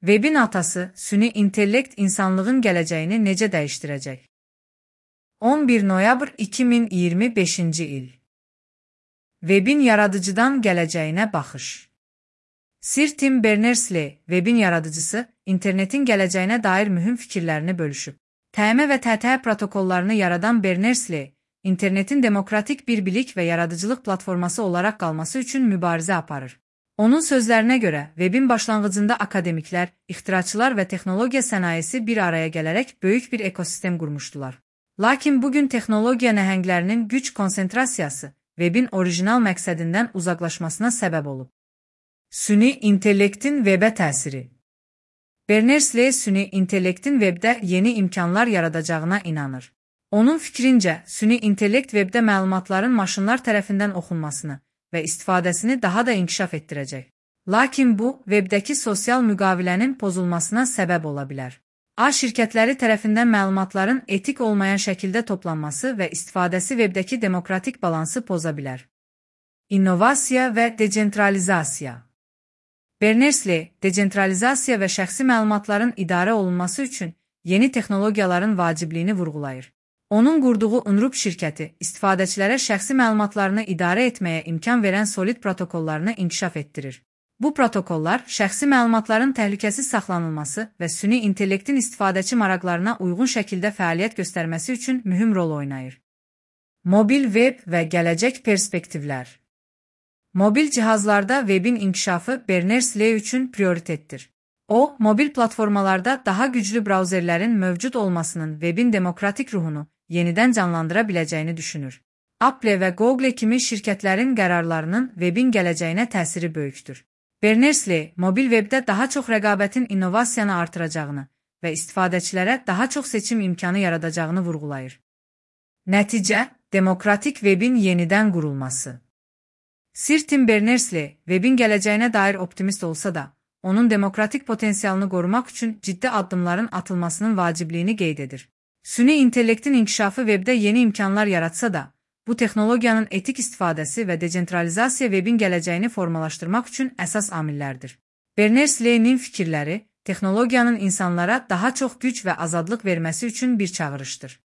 Webin atası, süni intellekt insanlığın gələcəyini necə dəyişdirəcək? 11 noyabr 2025-ci il. Webin yaradıcıdan gələcəyinə baxış. Sir Tim Berners-Lee, Webin yaradıcısı, internetin gələcəyinə dair mühüm fikirlərini bölüşüb. TM və TTH protokollarını yaradan Berners-Lee, internetin demokratik bir bilik və yaradıcılıq platforması olaraq qalması üçün mübarizə aparır. Onun sözlərinə görə, Webin başlanğıcında akademiklər, ixtiraçılar və texnologiya sənayesi bir araya gələrək böyük bir ekosistem qurmuşdular. Lakin bugün texnologiya nəhənglərinin güc konsentrasiyası Webin orijinal məqsədindən uzaqlaşmasına səbəb olub. Süni intellektin Webə təsiri. Berners-Lee süni intellektin Webdə yeni imkanlar yaradacağına inanır. Onun fikrincə, süni intellekt Webdə məlumatların maşınlar tərəfindən oxunmasını və istifadəsini daha da inkişaf etdirəcək. Lakin bu, Webdəki sosial müqavilənin pozulmasına səbəb ola bilər. A şirkətləri tərəfindən məlumatların etik olmayan şəkildə toplanması və istifadəsi Webdəki demokratik balansı poza bilər. İnnovasiya və decentralizasiya. Berners-Lee, decentralizasiya və şəxsi məlumatların idarə olunması üçün yeni texnologiyaların vacibliyini vurğulayır. Onun qurduğu Unrup şirkəti, istifadəçilərə şəxsi məlumatlarını idarə etməyə imkan verən Solid protokollarını inkişaf etdirir. Bu protokollar, şəxsi məlumatların təhlükəsiz saxlanılması və süni intellektin istifadəçi maraqlarına uyğun şəkildə fəaliyyət göstərməsi üçün mühüm rol oynayır. Mobil web və gələcək perspektivlər. Mobil cihazlarda Webin inkişafı Berners-Lee üçün prioritetdir. O, mobil platformalarda daha güclü brauzerlərin mövcud olmasının Webin demokratik ruhunu yenidən canlandıra biləcəyini düşünür. Apple və Google kimi şirkətlərin qərarlarının Webin gələcəyinə təsiri böyükdür. Berners-Lee, mobil Webdə daha çox rəqabətin innovasiyanı artıracağını və istifadəçilərə daha çox seçim imkanı yaradacağını vurğulayır. Nəticə, demokratik Webin yenidən qurulması. Sir Tim Berners-Lee, Webin gələcəyinə dair optimist olsa da, onun demokratik potensialını qorumaq üçün ciddi addımların atılmasının vacibliyini qeyd edir. Süni intellektin inkişafı Webdə yeni imkanlar yaratsa da, bu texnologiyanın etik istifadəsi və decentralizasiya Webin gələcəyini formalaşdırmaq üçün əsas amillərdir. Berners-Lee'nin fikirləri, texnologiyanın insanlara daha çox güc və azadlıq verməsi üçün bir çağırışdır.